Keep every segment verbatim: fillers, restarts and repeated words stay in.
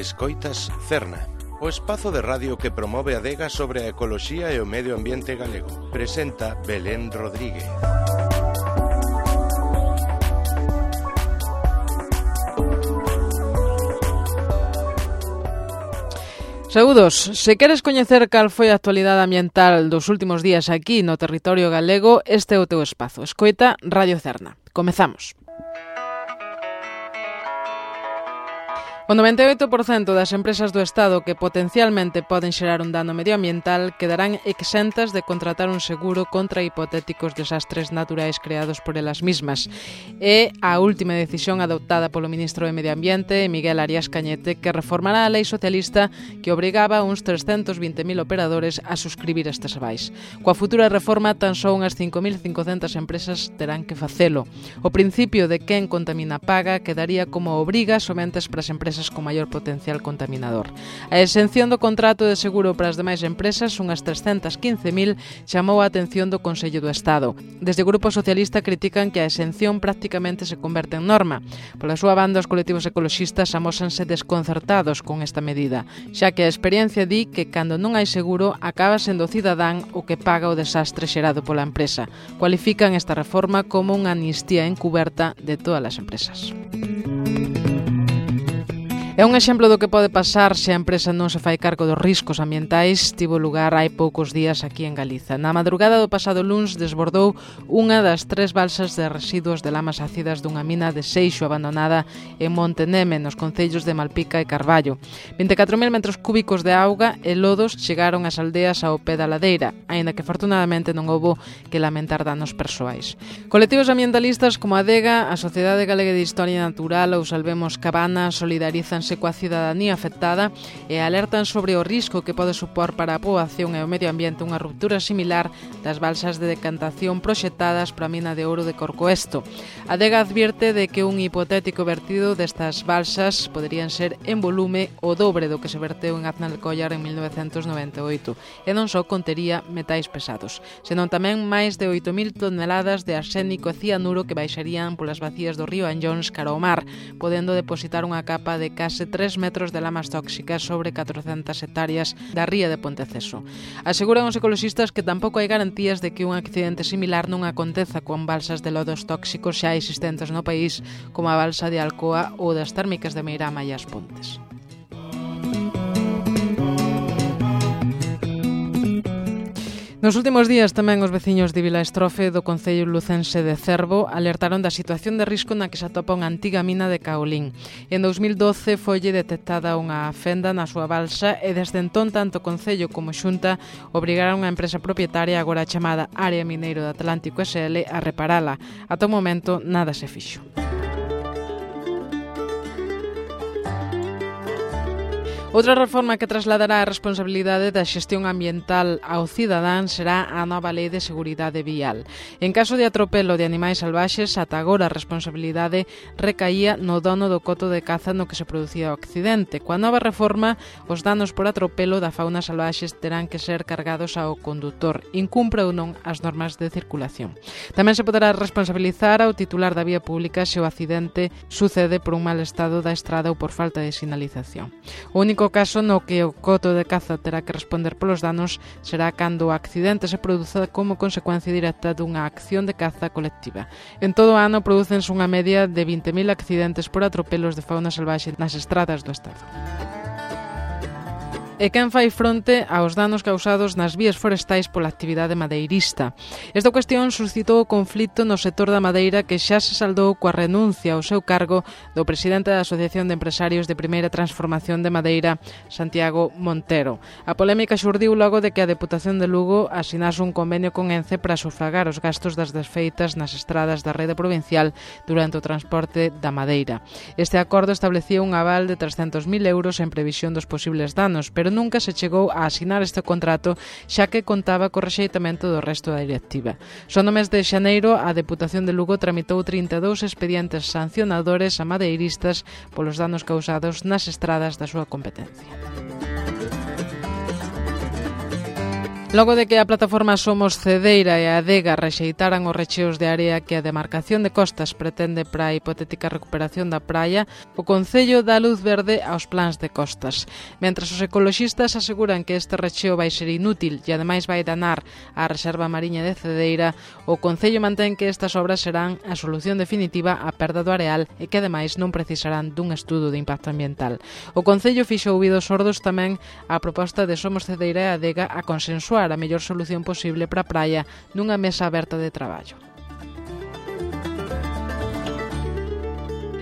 Escoitas Cerna, o espazo de radio que promove a adega sobre a ecoloxía e o medio ambiente galego. Presenta Belén Rodríguez. Saúdos, se queres coñecer cal foi a actualidade ambiental dos últimos días aquí no territorio galego, este é o teu espazo. Escoita Radio Cerna. Comezamos. O noventa e oito por cento das empresas do Estado que potencialmente poden xerar un dano medioambiental quedarán exentas de contratar un seguro contra hipotéticos desastres naturais creados por elas mismas. É a última decisión adoptada polo ministro de Medio Ambiente, Miguel Arias Cañete, que reformará a lei socialista que obrigaba a uns trescentos vinte mil operadores a suscribir estes avais. Coa futura reforma, tan só unhas cinco mil cincocentas empresas terán que facelo. O principio de quen contamina paga quedaría como obriga somente para as empresas con maior potencial contaminador. A exención do contrato de seguro para as demais empresas, unhas trescentas quince mil, chamou a atención do Consello do Estado. Desde o Grupo Socialista critican que a exención prácticamente se converte en norma. Pola súa banda, os colectivos ecoloxistas amósanse desconcertados con esta medida, xa que a experiencia di que cando non hai seguro acaba sendo o cidadán o que paga o desastre xerado pola empresa. Cualifican esta reforma como unha amnistía encuberta de todas as empresas. É un exemplo do que pode pasar se a empresa non se fai cargo dos riscos ambientais. Tivo lugar hai poucos días aquí en Galiza. Na madrugada do pasado luns desbordou unha das tres balsas de residuos de lamas ácidas dunha mina de Seixo abandonada en Monte Neme, nos concellos de Malpica e Carballo. vinte e catro mil metros cúbicos de auga e lodos chegaron ás aldeas ao pé da ladeira, aínda que afortunadamente non houbo que lamentar danos persoais. Colectivos ambientalistas como a Adega, a Sociedade Galega de Historia Natural ou Salvemos Cabana solidarízanse coa cidadanía afectada e alertan sobre o risco que pode supor para a poboación e o medio ambiente unha ruptura similar das balsas de decantación proxectadas para a mina de ouro de Corcoesto. A Adega advierte de que un hipotético vertido destas balsas poderían ser en volume o dobre do que se verteu en Aznalcóllar en mil novecentos noventa e oito e non só contería metais pesados, senón tamén máis de oito mil toneladas de arsénico e cianuro que baixarían polas vacías do río Anllóns cara ao mar, podendo depositar unha capa de case tres metros de lamas tóxicas sobre catrocentas hectáreas da ría de Ponteceso. Aseguran os ecoloxistas que tampouco hai garantías de que un accidente similar non aconteza con balsas de lodos tóxicos xa existentes no país, como a balsa de Alcoa ou das térmicas de Meirama e As Pontes. Nos últimos días tamén os veciños de Vilaestrofe do concello lucense de Cervo alertaron da situación de risco na que se atopa unha antiga mina de caolín. En dous mil doce foille detectada unha fenda na súa balsa e desde entón tanto o concello como Xunta obrigaron a empresa propietaria agora chamada Área Mineiro de Atlántico S L a reparala. Ata o momento nada se fixo. Outra reforma que trasladará a responsabilidade da xestión ambiental ao cidadán será a nova Lei de Seguridade Vial. En caso de atropelo de animais salvaxes, ata agora a responsabilidade recaía no dono do coto de caza no que se producía o accidente. Coa nova reforma, os danos por atropelo da fauna salvaxes terán que ser cargados ao condutor, incumpra ou non as normas de circulación. Tamén se poderá responsabilizar ao titular da vía pública se o accidente sucede por un mal estado da estrada ou por falta de sinalización. O único O caso no que o coto de caza terá que responder polos danos será cando o accidente se produza como consecuencia directa dunha acción de caza colectiva. En todo o ano prodúcense unha media de vinte mil accidentes por atropelos de fauna salvaxe nas estradas do Estado. E quen fai fronte aos danos causados nas vías forestais pola actividade madeirista. Esta cuestión suscitou o conflito no sector da madeira que xa se saldou coa renuncia ao seu cargo do presidente da Asociación de Empresarios de Primeira Transformación de Madeira, Santiago Montero. A polémica xurdiu logo de que a Deputación de Lugo asinase un convenio con Ence para sufragar os gastos das desfeitas nas estradas da rede provincial durante o transporte da madeira. Este acordo establecía un aval de trescentos mil euros en previsión dos posibles danos, pero nunca se chegou a asinar este contrato xa que contaba co rexeitamento do resto da directiva. Só no mes de xaneiro a Deputación de Lugo tramitou trinta e dous expedientes sancionadores a madeiristas polos danos causados nas estradas da súa competencia. Logo de que a plataforma Somos Cedeira e a Adega rexeitaran os recheos de area que a demarcación de costas pretende para a hipotética recuperación da praia, o Concello dá luz verde aos plans de costas. Mentras os ecoloxistas aseguran que este recheo vai ser inútil e ademais vai danar a reserva mariña de Cedeira, o Concello mantén que estas obras serán a solución definitiva á perda do areal e que ademais non precisarán dun estudo de impacto ambiental. O Concello fixo ouvidos sordos tamén á proposta de Somos Cedeira e Adega a consensuar a mellor solución posible para a praia nunha mesa aberta de traballo.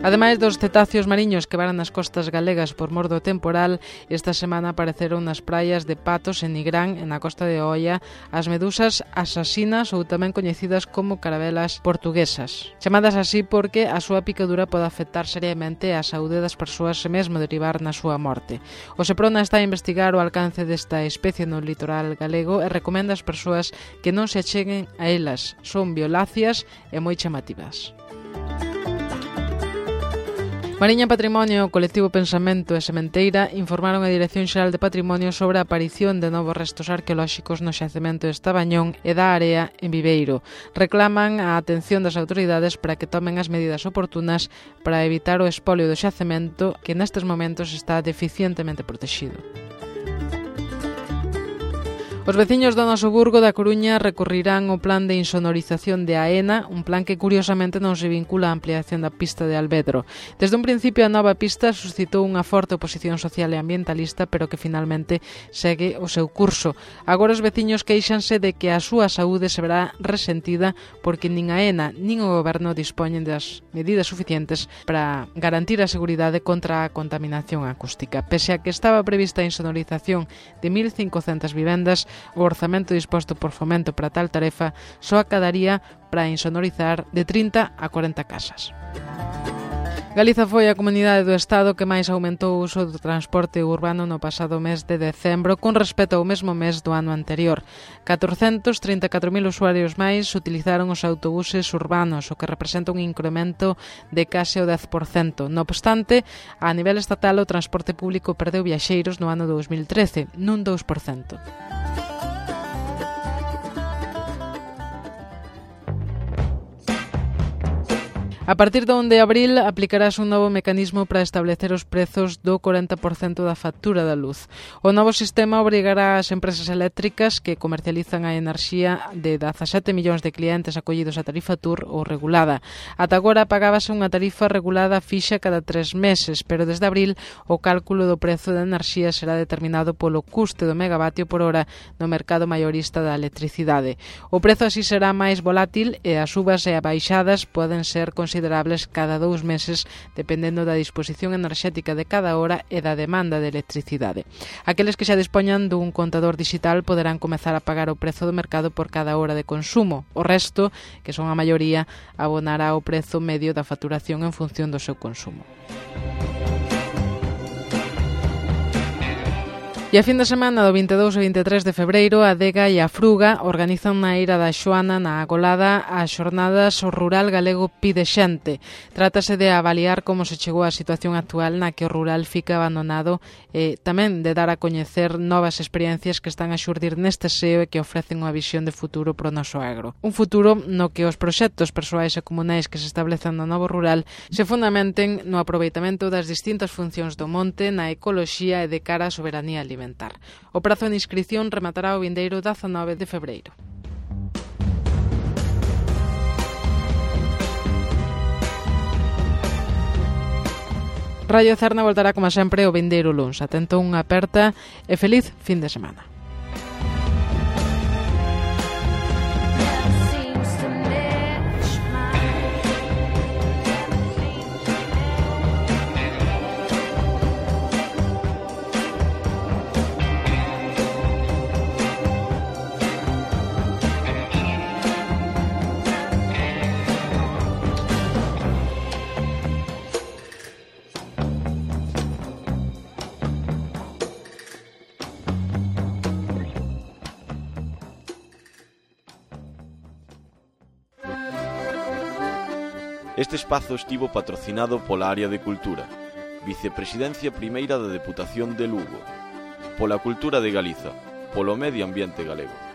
Ademais dos cetáceos mariños que varan nas costas galegas por mor do temporal, esta semana apareceron nas praias de Patos e Nigrán e na costa de Oia as medusas asasinas ou tamén coñecidas como carabelas portuguesas. Chamadas así porque a súa picadura pode afectar seriamente a saúde das persoas e mesmo derivar na súa morte. O Seprona está a investigar o alcance desta especie no litoral galego e recomenda ás persoas que non se acheguen a elas. Son violáceas e moi chamativas. Mariña Patrimonio, o colectivo Pensamento e Sementeira informaron a Dirección Xeral de Patrimonio sobre a aparición de novos restos arqueolóxicos no xacemento de Estabañón e da Area en Viveiro. Reclaman a atención das autoridades para que tomen as medidas oportunas para evitar o espolio do xacemento que nestes momentos está deficientemente protegido. Os veciños do noso Burgo da Coruña recorrirán o plan de insonorización de AENA, un plan que curiosamente non se vincula á ampliación da pista de Alvedro. Desde un principio a nova pista suscitou unha forte oposición social e ambientalista, pero que finalmente segue o seu curso. Agora os veciños queixanse de que a súa saúde se verá resentida porque nin AENA nin o Goberno dispoñen das medidas suficientes para garantir a seguridade contra a contaminación acústica. Pese a que estaba prevista a insonorización de mil cincocentas vivendas, o orzamento disposto por Fomento para tal tarefa só acadaría para insonorizar de trinta a cuarenta casas. Galiza foi a comunidade do Estado que máis aumentou o uso do transporte urbano no pasado mes de decembro con respecto ao mesmo mes do ano anterior. catrocentos trinta e catro mil usuarios máis utilizaron os autobuses urbanos, o que representa un incremento de case o dez por cento. No obstante, a nivel estatal o transporte público perdeu viaxeiros no ano dous mil trece, nun dous por cento. A partir do onde de abril aplicarás un novo mecanismo para establecer os prezos do corenta por cento da factura da luz. O novo sistema obrigará ás empresas eléctricas que comercializan a enerxía de dezasete millóns de clientes acollidos a tarifa T U R ou regulada. Ata agora pagábase unha tarifa regulada fixa cada tres meses, pero desde abril o cálculo do prezo da enerxía será determinado polo custe do megavatio por hora no mercado maiorista da electricidade. O prezo así será máis volátil e as subas e abaixadas poden ser consideradas considerables cada dous meses dependendo da disposición enerxética de cada hora e da demanda de electricidade. Aqueles que xa dispoñan dun contador digital poderán comezar a pagar o prezo do mercado por cada hora de consumo. O resto, que son a maioría, abonará o prezo medio da facturación en función do seu consumo. E a fin de semana do vinte e dous e vinte e tres de febreiro, a Adega e a Fruga organizan na Eira da Xoana na Agolada as xornadas O Rural Galego Pide Xente. Trátase de avaliar como se chegou á situación actual na que o rural fica abandonado e tamén de dar a coñecer novas experiencias que están a xurdir neste seo e que ofrecen unha visión de futuro pro noso agro. Un futuro no que os proxectos persoais e comunais que se establecen no novo rural se fundamenten no aproveitamento das distintas funcións do monte, na ecoloxía e de cara á soberanía alimentar. O prazo de inscrición rematará o vindeiro dezanove de febreiro. Radio Cerna voltará como sempre o vindeiro luns. Atento unha aperta e feliz fin de semana. Este espazo estivo patrocinado pola Área de Cultura, Vicepresidencia Primeira da Deputación de Lugo, pola Cultura de Galiza, polo medio ambiente galego.